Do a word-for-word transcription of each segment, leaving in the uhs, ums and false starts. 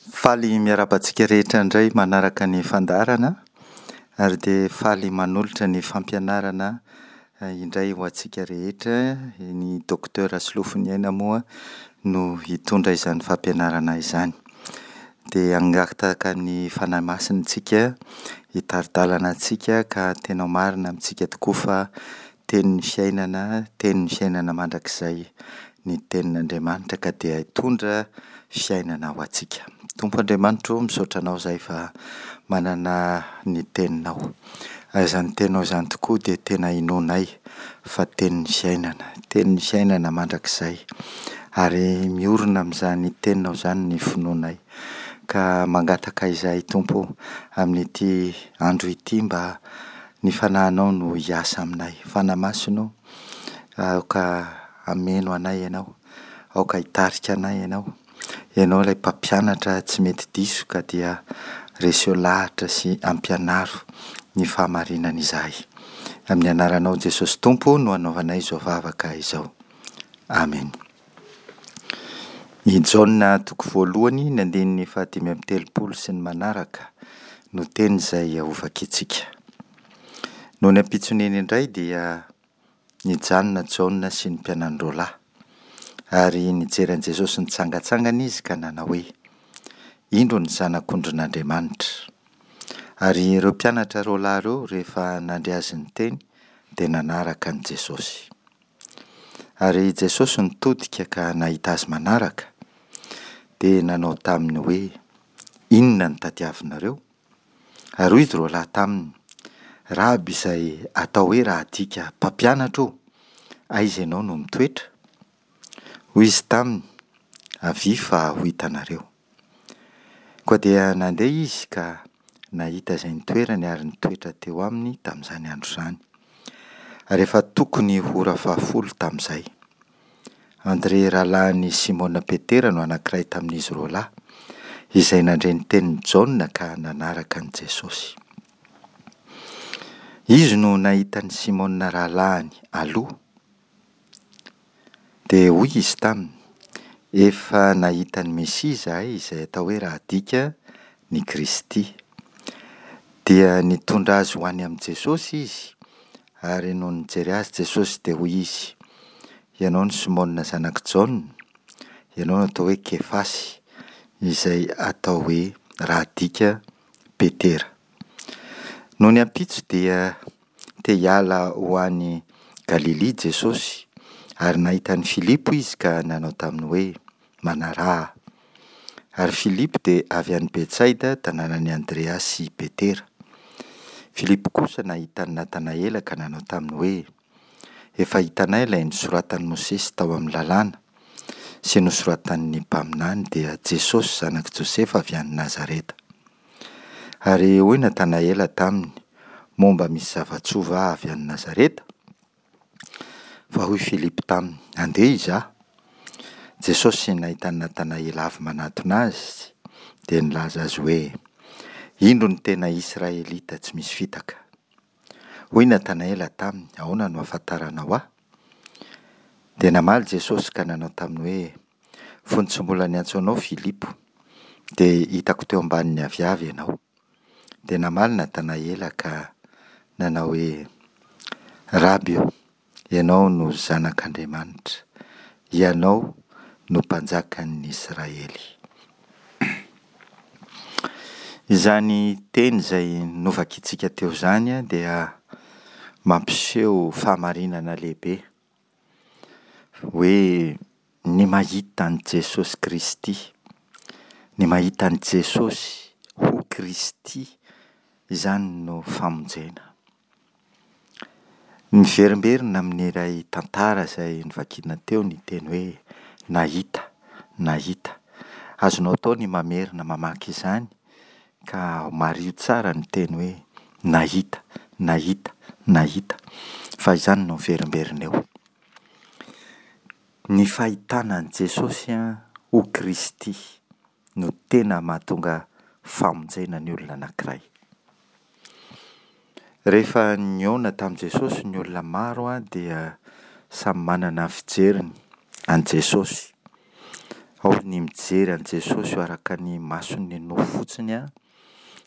Faly miarahaba antsika rehetra indray manaraka ny fandaharana ary dia faly manolotra ny fampianarana indray ho antsika rehetra. Ny Docteur Solofoniaina moa no hitondra izany fampianarana izany. Dia hangataka ny Fanahy Masina isika hitari-dalana antsika ka tena ho marina amintsika tokoa fa tenin'ny fiainana, tenin'ny fiainana mandrakizay ny tenin'Andriamanitra ka dia hitondra fiainana ho antsika. Tompo Andriamanitra ô, misaotra Anao izahay fa manana ny Teninao. Ary izany Teninao izany tokoa dia tena inoanay fa tenin'ny fiainana, tenin'ny fiainana mandrakizay. Ary miorina amin'izany Teninao izany ny finoanay. Ka mangataka izahay Tompo o, amin'ity andro ity mba ny Fanahinao no hiasa aminay. Fanahy Masina o, aoka hameno anay Ianao, aoka hitarika anay Ianao. Ianao ilay mpampianatra tsy mety diso ka dia reseo lahatra sy ampianaro ny fahamarinana izahay. Amin'ny anaranao Jesosy Tompo no anaovanay izao vavaka izao. Amen. I Jaona toko voalohany, ny andininy fahadimy amby telopolo sy ny manaraka no teny izay hovakintsika. Nony ampitson'iny indray dia nijanona Jaona sy ny mpianany roa lahy. Ary nijery an'i Jesosy nitsangantsangana izy ka nanao hoe: Indro ny Zanak'ondrin'Andriamanitra. Ary ireo mpianatra roa lahy ireo rehefa nandre azy niteny dia nanaraka an'i Jesosy. Ary Jesosy nitodika ka nahita azy manaraka, dia nanao taminy hoe: Inona no tadiavinareo? Ary hoy izy roa lahy taminy: Raby izay atao hoe raha adika mpampianatra ô, aiza ianao no mitoetra? Hoy izy taminy: Avia fa ho hitanareo. Koa dia nandeha izy ka nahita izay nitoerany ary nitoetra teo aminy tamin'izany andro izany. Ary efa tokony ho ora fahafolo tamin'izay. Andrea rahalahin'i Simona Petera no anankiray tamin'izy roa lahy, izay nandre ny tenin'i Jaona ka nanaraka an'i Jesosy. Izy no nahita an'i Simona rahalahiny aloha. Dia hoy izy taminy: Efa nahita ny Mesia izahay, izay atao hoe raha adika ny Kristy. Dia nitondra azy ho any amin'i Jesosy izy, ary nony nijery azy Jesosy dia hoy izy: Ianao no Simona zanak'i Jaona, ianao no atao hoe Kefasy, izay atao hoe raha adika Petera. Nony ampitso dia te hiala ho any Galilia Jesosy, ary nahita an'i Filipo izy ka nanao taminy hoe: Manaraha ahy. Ary Filipo dia avy any Betsaida, tanànan'i Andrea sy Petera. Filipo kosa nahita an'i Natanaela ka nanao taminy hoe: Efa hitanay ilay nosoratan'i Mosesy tao amin'ny lalàna sy nosoratan'ny mpaminany, dia Jesosy zanak'i Josefa avy any Nazareta. Ary hoy Natanaela taminy: Moa mba misy zava-tsoa va avy any Nazareta? Fa hoy Filipo taminy: Andeha hizaha. Jesosy nahita an'i Natanaela avy manatona azy, dia nilaza azy hoe: Indro ny tena Israelita tsy misy fitaka. Hoy Natanaela taminy: Ahoana no ahafantaranao ahy? Dia namaly Jesosy ka nanao taminy hoe: Fony tsy mbola niantso anao Filipo, dia hitako teo ambanin'ny aviavy ianao. Dia namaly Natanaela ka nanao hoe: Raby ô, ianao no Zanak'Andriamanitra, ianao no Mpanjakan'ny Israely. Izany teny izay novakintsika teo izany dia mampiseho fahamarinana lehibe, hoe ny mahita an'i Jesosy Kristy, ny mahita an'i Jesosy ho Kristy, izany no famonjena. Miverimberina amin'ilay tantara izay novakiana teo ny teny hoe nahita, nahita. Azonao atao ny mamerina mamaky izany ka mariho tsara ny teny hoe nahita, nahita, nahita fa izany no miverimberina eo. Ny fahitana an'i Jesosy ho Kristy no tena mahatonga famonjena ny olona anankiray. Rehefa nihaona tamin'i Jesosy ny olona maro dia samy manana ny fijeriny an'i Jesosy. Ao ny mijery an'i Jesosy araka ny mason'ny nofo fotsiny an,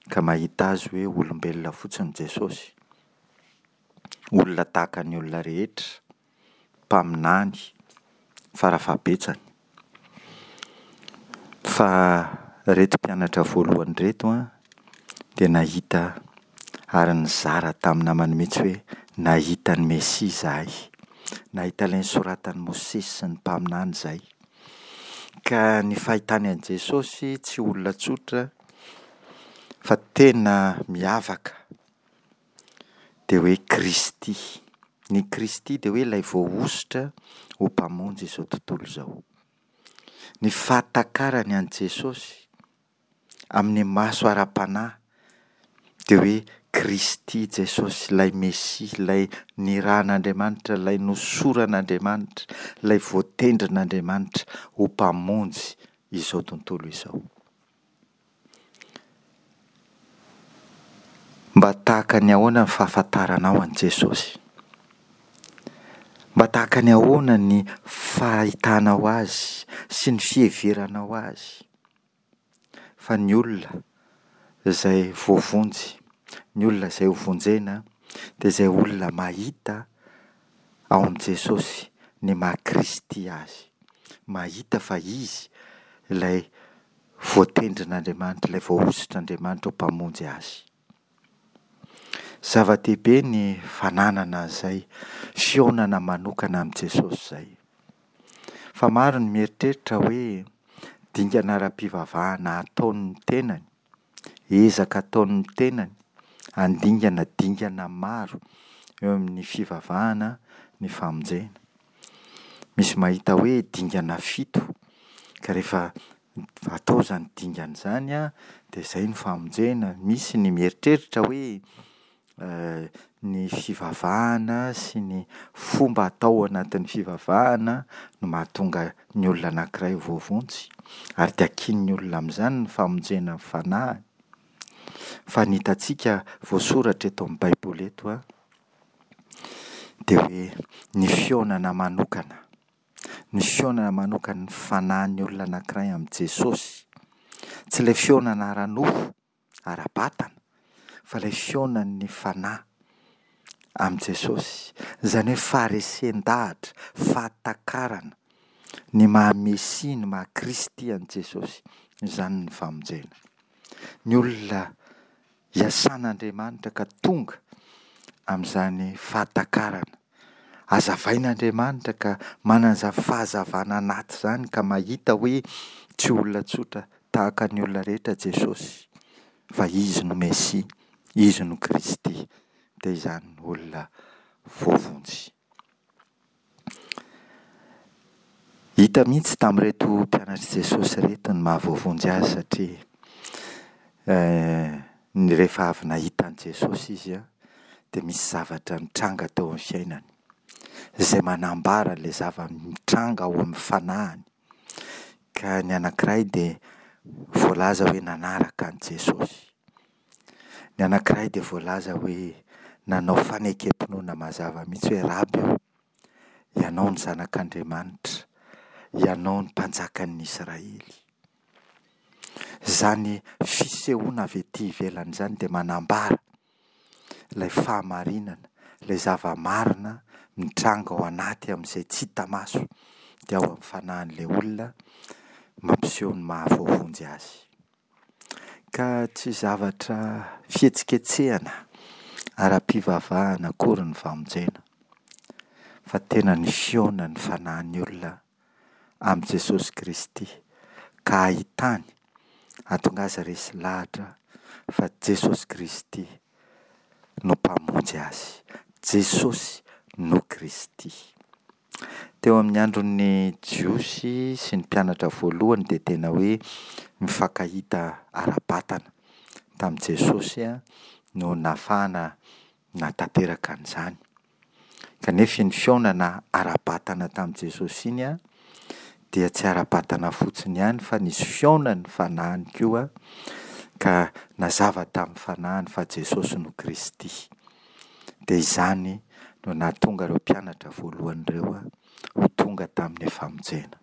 ka mahita azy hoe olombelona fotsiny Jesosy. Olona tahaka ny olona rehetra, mpaminany farafahabetsany. Fa ireto mpianatra voalohany ireto an, dia nahita ary nizara tamin'ny namany mihitsy hoe nahita ny Mesia izahay. Nahita ilay nosoratan'i Mosesy sy ny mpaminany izahay. Ka ny fahitany an'i Jesosy tsy olona tsotra fa tena miavaka dia hoe Kristy. Ny Kristy dia hoe ilay voahosotra ho mpamonjy izao tontolo izao. Ny fahatakarany an'i Jesosy amin'ny maso ara-panahy dia hoe Kristy Jesosy, ilay Mesia, ilay nirahan'Andriamanitra, ilay nosoran'Andriamanitra, ilay voatendrin'Andriamanitra ho mpamonjy izao tontolo izao. Mba tahaka ny ahoana ny fahafantaranao an'i Jesosy? Mba tahaka ny ahoana ny fahitanao Azy sy ny fiheveranao Azy? Fa ny olona izay voavonjy, ny olona izay hovonjena dia izay olona mahita ao amin'i Jesosy ny maha Kristy Azy. Mahita fa Izy ilay voatendrin'Andriamanitra, ilay voahosotr'Andriamanitra ho Mpamonjy azy. Zava-dehibe ny fananana an'izay fihaonana manokana amin'i Jesosy izay. Fa maro ny mieritreritra hoe dingana ara-pivavahana ataon'ny tenany, ezaka ataon'ny tenany, handingana dingana maro eo amin'ny fivavahana ny famonjena. Misy mahita hoe dingana fito, ka rehefa atao izany dingana izany an, dia izay ny famonjena. Misy ny mieritreritra hoe ny fivavahana sy ny fomba atao ao anatin'ny fivavahana no mahatonga ny olona anankiray ho voavonjy. Ary dia ankinin'ny olona amin'izany ny famonjena ny fanahiny. Fa ny hitantsika voasoratra eto amin'ny Baiboly eto an, dia hoe ny fihaonana manokana, ny fihaonana manokan'ny fanahin'ny olona anankiray amin'i Jesosy. Tsy ilay fihaonana ara-nofo, ara-batana, fa ilay fihaonan'ny fanahy amin'i Jesosy. Izany hoe faharesen-dahatra, fahatakarana ny maha-Mesia, ny maha-Kristy an'i Jesosy. Izany ny famonjena. Ny olona iasan'Andriamanitra ka tonga amin'izany fahatakarana. Hazavain'Andriamanitra ka manana izany fahazavana anaty izany ka mahita hoe tsy olona tsotra tahaka ny olona rehetra Jesosy fa Izy no Mesia, Izy no Kristy, dia izany no olona voavonjy. Hita mihitsy tamin'ireto mpianatr'i Jesosy ireto ny maha-voavonjy azy satria ny rehefa avy nahita an'i Jesosy izy dia misy zavatra nitranga teo amin'ny fiainany izay manambara ilay zava-mitranga ao amin'ny fanahiny. Ka ny anankiray dia voalaza hoe nanaraka an'i Jesosy. Ny anankiray dia voalaza hoe nanao fanekem-pinoana mazava mihitsy hoe Raby ô, Ianao no Zanak'Andriamanitra, Ianao no Mpanjakan'ny Israely. Izany fisehoana avy ety ivelany izany dia manambara ilay fahamarinana, ilay zava-marina mitranga ao anaty amin'izay tsy hita maso dia ao amin'ny fanahin'ilay olona mampiseho ny maha-voavonjy azy. Ka tsy zavatra fihetsiketsehana ara-pivavahana akory ny famonjena, fa tena ny fihaonan'ny fanahin'ny olona amin'i Jesosy Kristy ka ahitany, hahatonga azy resy lahatra fa Jesosy Kristy no Mpamonjy azy. Jesosy no Kristy. Teo amin'ny andron'ny Jiosy sy ny mpianatra voalohany dia tena hoe mifankahita ara-batana tamin'i Jesosy no nahafahana nahatanteraka an'izany. Kanefa iny fihaonana ara-batana tamin'i Jesosy iny dia tsy ara-batana fotsiny ihany fa nisy fihaonan'ny fanahiny koa ka nazava tamin'ny fanahiny fa Jesosy no Kristy. Dia izany no nahatonga ireo mpianatra voalohany ireo ho tonga tamin'ny famonjena.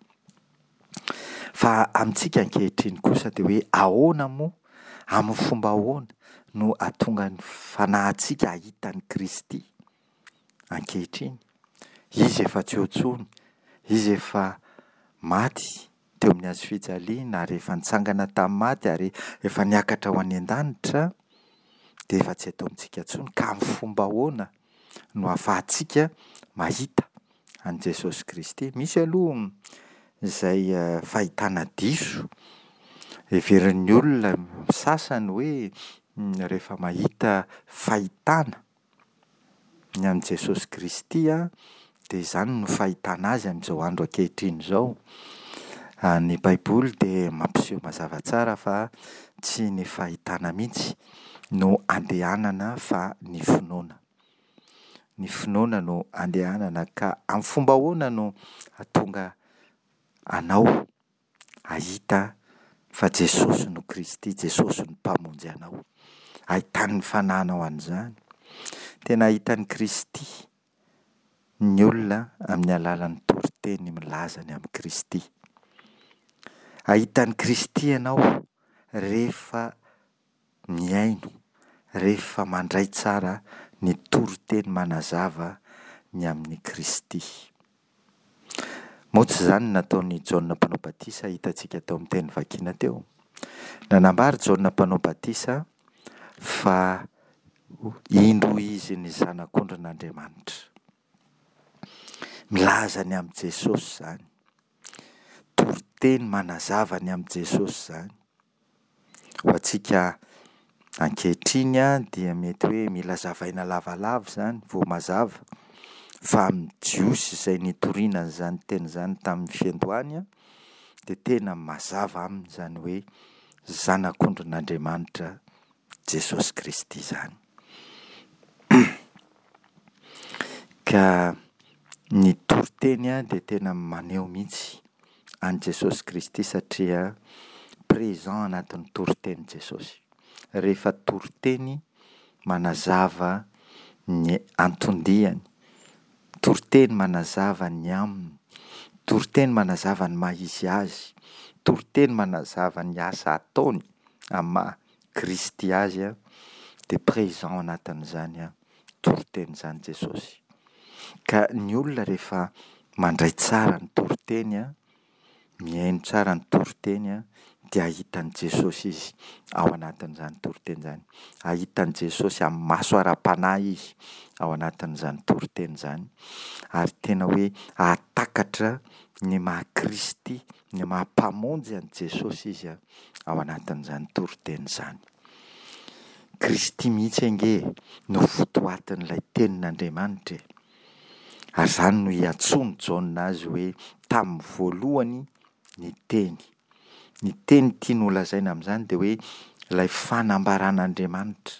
Fa amintsika ankehitriny kosa dia hoe ahoana moa, amin'ny fomba ahoana no ahatonga ny fanahintsika hahita an'i Kristy ankehitriny? Izy efa tsy eo intsony, Izy efa maty teo amin'ny hazofijaliana ary efa nitsangana tamin'ny maty ary efa niakatra ho any an-danitra, dia efa tsy eto amintsika intsony ka amin'ny fomba ahoana no ahafahantsika mahita an'i Jesosy Kristy? Misy aloha izay fahitana diso heverin'ny olona sasany hoe rehefa mahita fahitana ny an'i Jesosy Kristy an, dia izany no fahitana azy amin'izao andro ankehitriny izao. Ny Baiboly dia mampiseho mazava tsara fa tsy ny fahitana mihitsy no andehanana fa ny finoana. Ny finoana no andehanana ka amin'ny fomba ahoana no hahatonga anao hahita fa Jesosy no Kristy, Jesosy no Mpamonjy anao? Ahitan'ny fanahinao an'izany. Tena hahita an'i Kristy ny olona amin'ny alalan'ny toriteny milaza ny amin'i Kristy. Hahita an'i Kristy ianao rehefa mihaino, rehefa mandray tsara ny toriteny manazava ny amin'i Kristy. Moa tsy izany no nataon'i Jaona Mpanao Batisa hitantsika tao amin'ny teny vakina teo? Nanambara Jaona Mpanao Batisa fa indro izy ny Zanak'ondrin'Andriamanitra. Milaza ny amin'i Jesosy izany. Toriteny manazava ny amin'i Jesosy izany. Ho antsika ankehitriny dia mety hoe mila zavaina lavalava izany vao mazava, fa amin'ny Jiosy izay nitoriana an'izany teny izany tamin'ny fiandohany dia tena mazava aminy izany hoe Zanak'ondrin'Andriamanitra Jesosy Kristy izany. Ka ny toriteny dia tena maneho mihitsy an'i Jesosy Kristy satria présent anatin'ny toriteny Jesosy. Rehefa toriteny manazava ny anton-diany, toriteny manazava ny aminy, toriteny manazava ny maha izy azy, toriteny manazava ny asa ataony amin'ny maha Kristy azy, dia présent anatin'izany toriteny izany Jesosy. Ka ny olona rehefa mandray tsara ny toriteny, mihaino tsara ny toriteny, dia hahita an'i Jesosy izy ao anatin'izany toriteny izany. Hahita an'i Jesosy amin'ny maso ara-panahy izy ao anatin'izany toriteny izany. Ary tena hoe hahatakatra ny maha Kristy, ny maha Mpamonjy an'i Jesosy izy ao anatin'izany toriteny izany. Kristy mihitsy ange no votoatin'ilay tenin'Andriamanitra e. Ary izany no iantsoan'i Jaona azy hoe tamin'ny voalohany ny teny. Ny teny tiany holazaina amin'izany dia hoe ilay fanambaran'Andriamanitra.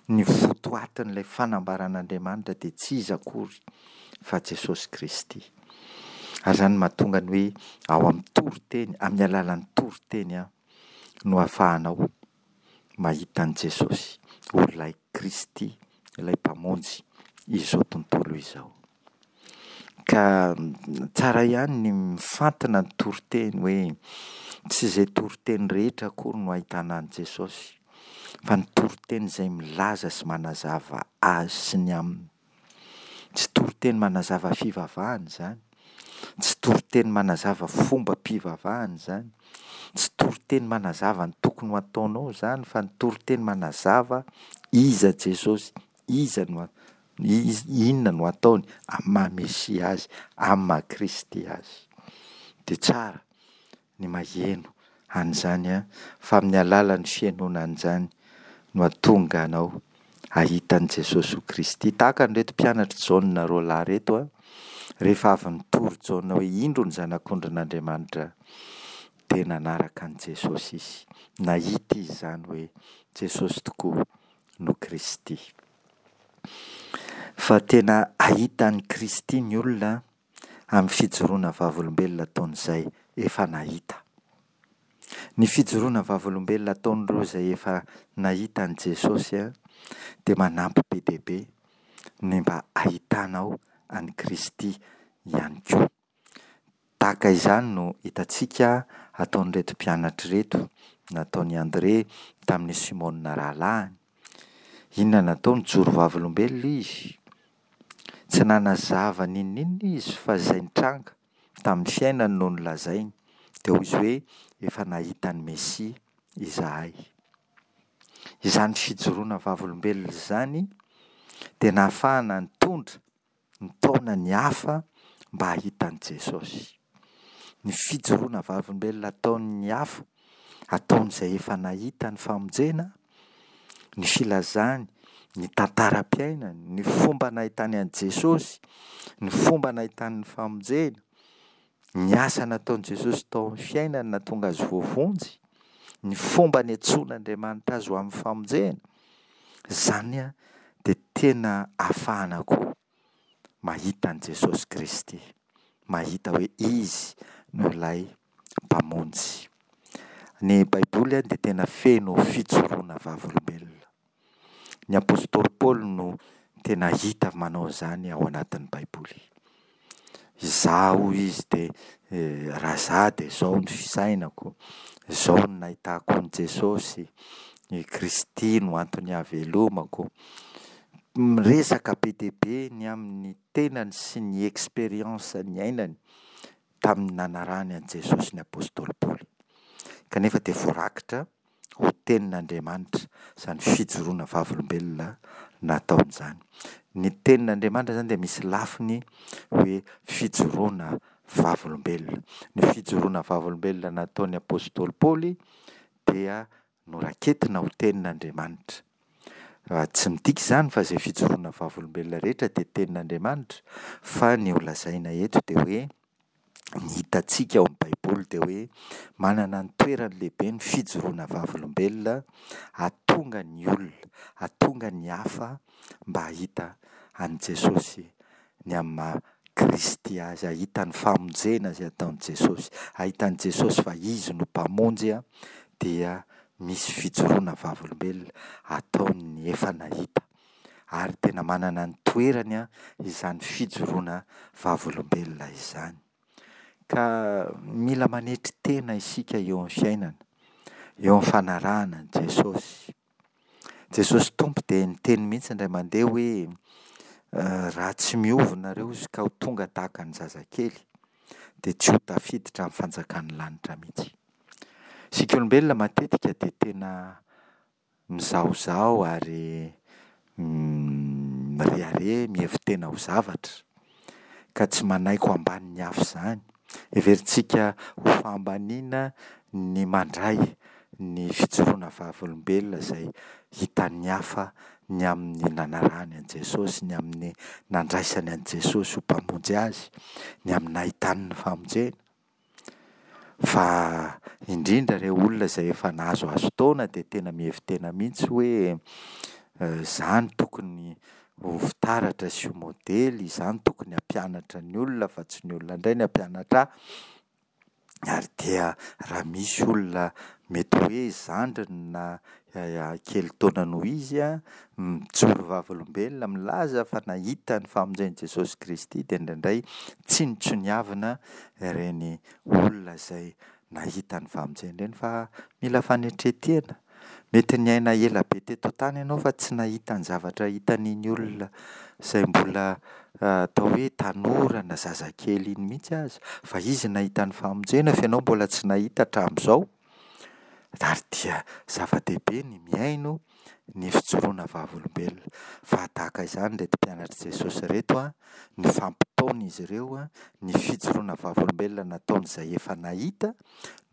Ny votoatin'ilay fanambaran'Andriamanitra dia tsy iza akory fa Jesosy Kristy. Ary izany no mahatonga ny hoe ao amin'ny toriteny, amin'ny alalan'ny toriteny no ahafahanao mahita an'i Jesosy ho ilay Kristy, ilay Mpamonjy izao tontolo izao. Ka tsara ihany ny mifantina ny toriteny hoe tsy izay toriteny rehetra akory no ahitana an'i Jesosy, fa ny toriteny izay milaza sy manazava azy sy ny aminy. Tsy toriteny manazava fivavahana izany, tsy toriteny manazava fombam-pivavahana izany, tsy toriteny manazava ny tokony ho ataonao izany, fa ny toriteny manazava iza Jesosy, iza no inona no ataony amin'ny maha Mesia azy, amin'ny maha Kristy azy. Dia tsara ny maheno an'izany fa amin'ny alalan'ny fihainoana an'izany no hahatonga anao hahita an'i Jesosy ho Kristy. Tahaka an'ireto mpianatr'i Jaona roa lahy ireto, rehefa avy nitory Jaona hoe indro ny Zanak'ondrin'Andriamanitra, dia nanaraka an'i Jesosy izy. Nahita izy izany hoe Jesosy tokoa no Kristy. Fa tena hahita an'i Kristy ny olona amin'ny fijoroana vavolombelona ataon'izay efa nahita. Ny fijoroana vavolombelona ataon'ireo izay efa nahita an'i Jesosy dia manampy be dia be ny mba hahitanao an'i Kristy ihany koa. Tahaka izany no hitantsika ataon'ireto mpianatra ireto, nataon'i André tamin'i Simona rahalahiny. Inona no nataony? Nijoro vavolombelona izy. Tsy nanazava n'inon'inona izy fa izay nitranga tamin'ny fiainany no nolazainy. Dia hoy izy hoe efa nahita ny Mesia izahay. Izany fijoroana vavolombelona izany dia nahafahana nitondra, nitaona ny hafa mba hahita an'i Jesosy. Ny fijoroana vavolombelona ataon'ny hafa, ataon'izay efa nahita ny famonjena, ny filazany, ny tantaram-piainany, ny fomba nahitany an'i Jesosy, ny fomba nahitany ny famonjena, ny asa nataon'i Jesosy tao amin'ny fiainany nahatonga azy voavonjy, ny fomba niantsoan'Andriamanitra azy ho amin'ny famonjena, izany dia tena ahafahana koa mahita an'i Jesosy Kristy, mahita hoe Izy no ilay Mpamonjy. Ny Baiboly dia tena feno fijoroana vavolombelona. Ny apostoly Paoly no tena hita manao izany ao anatin'ny Baiboly. Izaho hoy izy dia raha izaho dia izao ny fisainako, izao no nahitako an'i Jesosy, i Kristy no antony ahavelomako. Miresaka be dia be ny amin'ny tenany sy ny expérience niainany tamin'ny nanarahany an'i Jesosy ny apostoly Paoly. Kanefa dia voarakitra ho tenin'Andriamanitra izany fijoroana vavolombelona nataony izany. Ny tenin'Andriamanitra izany dia misy lafiny hoe fijoroana vavolombelona. Ny fijoroana vavolombelona nataon'ny apostoly Paoly dia noraketina ho tenin'Andriamanitra. Tsy midika izany fa izay fijoroana vavolombelona rehetra dia tenin'Andriamanitra, fa ny ho lazaina eto dia hoe ny hitantsika ao amin'ny Baiboly dia hoe manana ny toerany lehibe ny fijoroana vavolombelona hahatonga ny olona, hahatonga ny hafa mba hahita an'i Jesosy ny amin'ny maha Kristy azy, hahita ny famonjena izay ataon'i Jesosy, hahita an'i Jesosy fa Izy no Mpamonjy dia misy fijoroana vavolombelona ataon'ny efa nahita. Ary tena manana ny toerany izany fijoroana vavolombelona izany. Ka mila manetry tena isika eo amin'ny fiainana, eo amin'ny fanarahana an'i Jesosy. Jesosy Tompo dia niteny mihitsy indray mandeha hoe raha tsy miova nareo izy ka ho tonga tahaka ny zazakely dia tsy ho tafiditra amin'ny fanjakan'ny lanitra mihitsy. Isika olombelona matetika dia tena mizahozaho ary mirehareha, mihevi-tena ho zavatra ka tsy manaiky ho ambanin'ny hafa izany. Heverintsika ho fahambaniana ny mandray ny fijoroana vavolombelona izay hitan'ny hafa ny amin'ny nanarahany an'i Jesosy, ny amin'ny nandraisany an'i Jesosy ho Mpamonjy azy, ny amin'ny nahitany ny famonjena. Fa indrindra ireo olona izay efa nahazoazo taona dia tena mihevi-tena mihitsy hoe izaho no tokony ho fitaratra sy ho modely, izaho no tokony hampianatra ny olona fa tsy ny olona indray no hampianatra ahy. Ary dia raha misy olona mety hoe zandriny na kely taona noho izy an, mijoro vavolombelona milaza fa nahita ny famonjen'i Jesosy Kristy dia indraindray tsinontsinoavina ireny olona izay nahita ny famonjena ireny fa mila fanetren-tena. Mety niaina ela be teto an-tany ianao fa tsy nahita ny zavatra hitan'iny olona izay mbola atao hoe tanora na zazakely iny mihitsy aza, fa izy nahita ny famonjena fa ianao mbola tsy nahita hatramin'izao. Ary dia zava-dehibe ny mihaino ny fijoroana vavolombelona. Fa tahaka izany ireto mpianatr'i Jesosy ireto an, nifampitaona izy ireo an, ny fijoroana vavolombelona nataon'izay efa nahita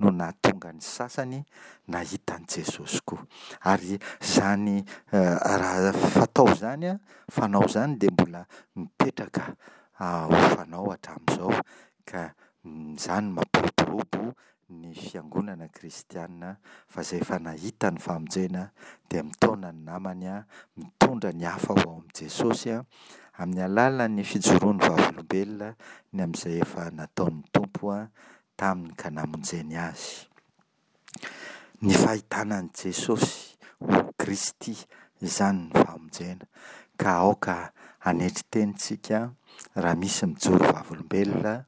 no nahatonga ny sasany nahita an'i Jesosy koa. Ary izany raha fatao izany an, fanao izany dia mbola mipetraka ho fanao hatramin'izao ka izany no mampiroborobo ny fiangonana kristiana fa izay efa nahita ny famonjena dia mitaona ny namany, mitondra ny hafa ho ao amin'i Jesosy amin'ny alalan'ny fijoroany vavolombelona ny amin'izay efa nataon'ny Tompo taminy ka namonjeny azy. Ny fahitana an'i Jesosy ho Kristy izany ny famonjena ka aoka hanetry tena isika raha misy mijoro vavolombelona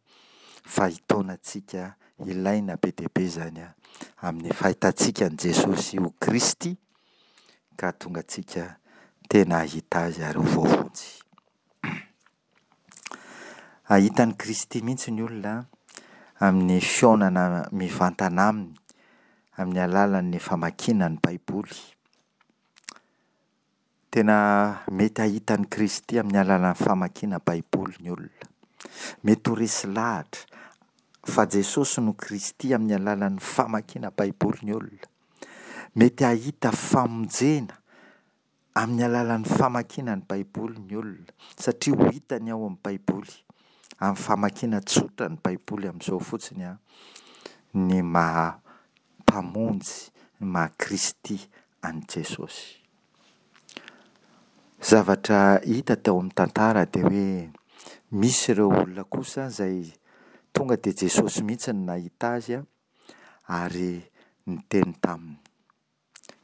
fa hitaona antsika, ilaina be dia be izany an, amin'ny fahitantsika an'i Jesosy ho Kristy ka hahatonga antsika tena hahita Azy ary ho voavonjy. Hahita an'i Kristy mihitsy ny olona amin'ny fihaonana mivantana aminy amin'ny alalan'ny famakiana ny Baiboly. Tena mety hahita an'i Kristy amin'ny alalan'ny famakiana Baiboly ny olona. Mety ho resy lahatra fa Jesosy no Kristy amin'ny alalan'ny famakiana Baiboly ny olona. Mety hahita famonjena amin'ny alalan'ny famakiana ny Baiboly ny olona, satria ho hitany ao amin'ny Baiboly, amin'ny famakiana tsotra ny Baiboly amin'izao fotsiny an, ny maha Mpamonjy, ny maha Kristy an'i Jesosy. Zavatra hita tao amin'ny tantara dia hoe misy ireo olona kosa izay tonga dia Jesosy mihitsy no nahita azy ary niteny taminy.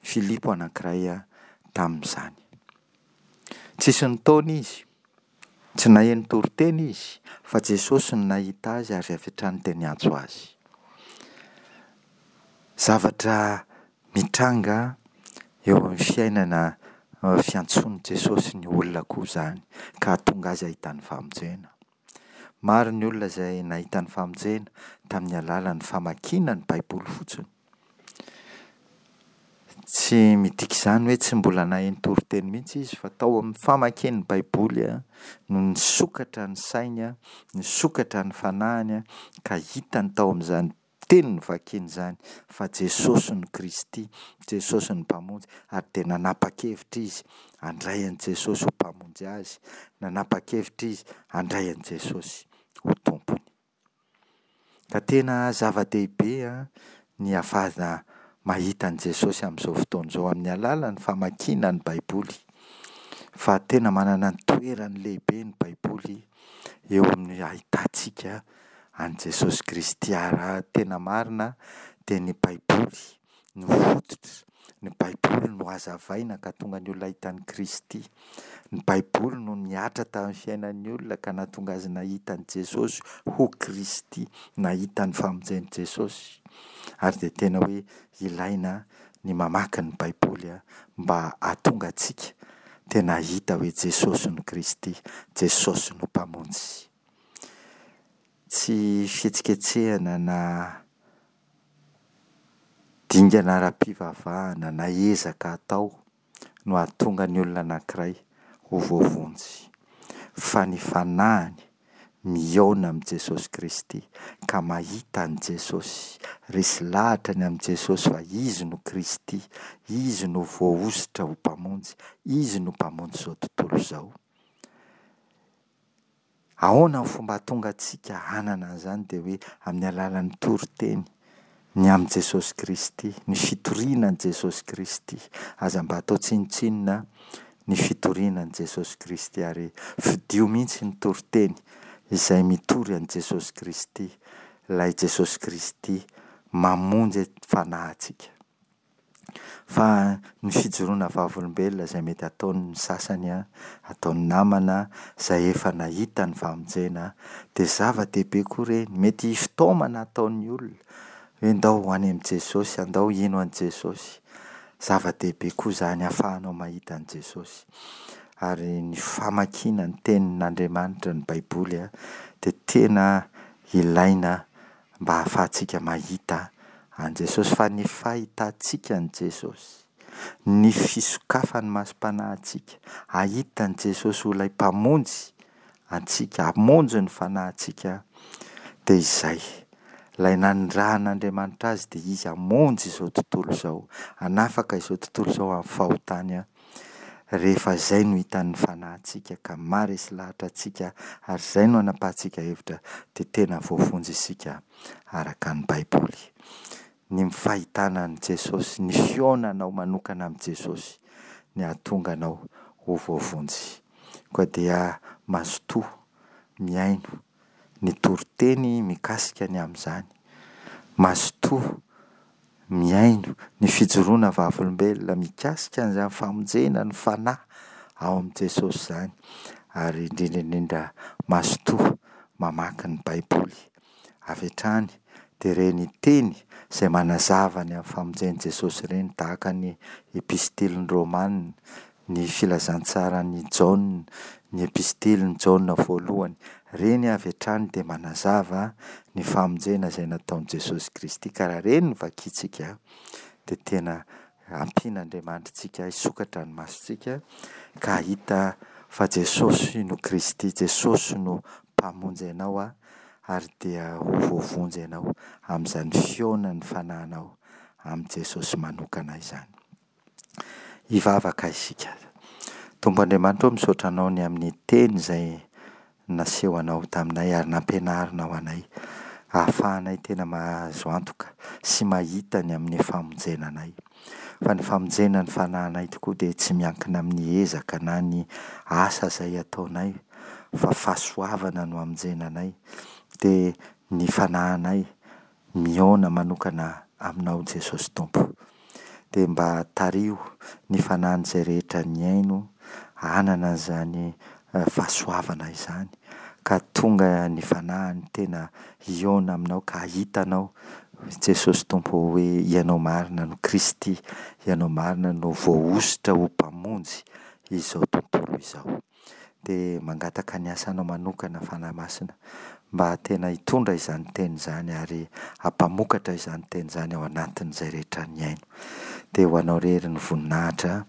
Filipo anankiray tamin'izany. Tsisy nitaona izy, tsy naheno toriteny izy, fa Jesosy no nahita azy ary avy hatrany dia niantso azy. Zavatra mitranga eo amin'ny fiainana fiantsoan'i Jesosy ny olona koa izany, ka hahatonga azy hahita ny famonjena. Maro ny olona izay nahita ny famonjena tamin'ny alalan'ny famakiana ny Baiboly fotsiny. Tsy midika izany hoe tsy mbola naheno toriteny mihitsy izy, fa tao amin'ny famakiany ny Baiboly no nisokatra ny sainy, nisokatra ny fanahiny, ka hitany tao amin'izany teny novakiany izany fa Jesosy no Kristy, Jesosy no Mpamonjy, ary dia nanapa-kevitra izy handray an'i Jesosy ho Mpamonjy azy, nanapa-kevitra izy handray an'i Jesosy ho Tompony. Ka tena zava-dehibe ny ahafahana mahita an'i Jesosy amin'izao fotoana izao amin'ny alalan'ny famakiana ny Baiboly, fa tena manana ny toerany lehibe ny Baiboly eo amin'ny ahitantsika an'i Jesosy Kristy. Ary raha tena marina dia ny Baiboly no fototra, ny Baiboly no hazavaina ka tonga ny olona hahita an'i Kristy. Ny Baiboly no nihatra tamin'ny fiainan'ny olona ka nahatonga azy nahita an'i Jesosy ho Kristy, nahita ny famonjen'i Jesosy. Ary dia tena hoe ilaina ny mamaky ny Baiboly mba hahatonga antsika tena hahita hoe Jesosy no Kristy, Jesosy no Mpamonjy. Tsy fihetsiketsehana na dingana ara-pivavahana na ezaka atao no hahatonga ny olona anankiray ho voavonjy, fa ny fanahiny mihaona amin'i Jesosy Kristy ka mahita an'i Jesosy, resy lahatra ny amin'i Jesosy fa Izy no Kristy, Izy no voahosotra ho Mpamonjy, Izy no Mpamonjy izao tontolo izao. Ahoana ny fomba hahatonga antsika hanana an'izany? Dia hoe amin'ny alalan'ny toriteny ny amin'i Jesosy Kristy, ny fitoriana an'i Jesosy Kristy. Aza mba atao tsinontsinona ny fitoriana an'i Jesosy Kristy, ary fidio mihitsy ny toriteny izay mitory an'i Jesosy Kristy, ilay Jesosy Kristy mamonjy fanahintsika. Fa ny fijoroana vavolombelona izay mety ataon'ny sasany, ataon'ny namana izay efa nahita ny famonjena, dia zava-dehibe koa ireny. Mety fitaomana ataon'ny olona hoe ndao ho any amin'i Jesosy, andao hino an'i Jesosy. Zava-dehibe koa izany ahafahanao mahita an'i Jesosy. Ary ny famakiana ny tenin'Andriamanitra, ny Baiboly, dia tena ilaina mba hahafahantsika mahita an'i Jesosy. Fa ny fahitantsika an'i Jesosy, ny fisokafan'ny masom-panahintsika hahita an'i Jesosy ho ilay Mpamonjy antsika, hamonjy ny fanahintsika, dia izay. Ilay nanirahan'Andriamanitra azy dia izy hamonjy izao tontolo izao, hanafaka izao tontolo izao amin'ny fahotany. Rehefa izay no hitan'ny fanahintsika ka maharesy lahatra antsika ary izay no anapahantsika hevitra, dia tena voavonjy isika araka ny Baiboly. Ny fahitana an'i Jesosy, ny fihaonanao manokana amin'i Jesosy ny hahatonga anao ho voavonjy. Koa dia mazotoa mihaino ny toriteny mikasika ny amin'izany. Mazotoa mihaino ny fijoroana vavolombelona mikasika an'izany famonjena ny fanahy ao amin'i Jesosy izany. Ary indrindra indrindra mazotoa mamaky ny Baiboly avy hatrany dia ireny teny izay manazava ny amin'ny famonjen'i Jesosy ireny tahaka ny epistilin'ny Romana, ny filazantsaran'i Jaona, ny epistilin'i Jaona voalohany. Ireny avy hatrany dia manazava ny famonjena izay nataon'i Jesosy Kristy ka raha ireny no vakintsika dia tena ampian'Andriamanitra antsika hisokatra ny masontsika ka hahita fa Jesosy no Kristy, Jesosy no Mpamonjy anao ary dia ho voavonjy ianao amin'izany fihaonan'ny fanahinao amin'i Jesosy manokana izany. Hivavaka isika. Tompo Andriamanitra ô, misaotra Anao ny amin'ny teny izay nasehonao taminay ary nampianarinao anay, ahafahanay tena mahazo antoka sy mahita ny amin'ny famonjena anay. Fa ny famonjena ny fanahinay tokoa dia tsy miankina amin'ny ezaka na ny asa izay ataonay fa fahasoavana no hamonjena anay, dia ny fanahinay mihaona manokana aminao Jesosy Tompo. Dia mba tariho ny fanahin'izay rehetra nihaino hanana an'izany fahasoavana izany, ka tonga ny fanahiny tena hihaona aminao ka hahita anao Jesosy Tompo hoe Ianao marina no Kristy, Ianao marina no voahosotra ho Mpamonjy izao tontolo izao. Dia mangataka ny asanao manokana Fanahy Masina mba tena hitondra izany teny izany ary hampamokatra izany teny izany ao anatin'izay rehetra nihaino. Dia ho anao irery ny voninahitra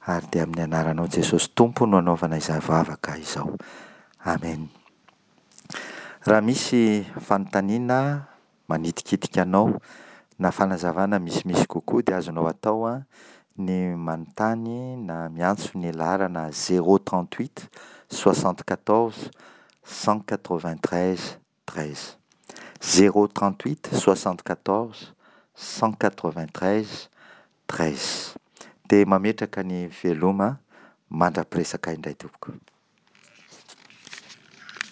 ary dia amin'ny anaranao Jesosy Tompo no anaovana izany vavaka izao. Amen. Raha misy fanontaniana manitikitika anao na fanazavana misimisy kokoa dia azonao atao ny manontany na miantso ny laharana zéro trente huit soixante quatorze cent quatre vingt treize treize. Zéro trente huit soixante quatorze cent quatre vingt treize treize. Dia mametraka ny veloma mandra-piresaka indray tompoko.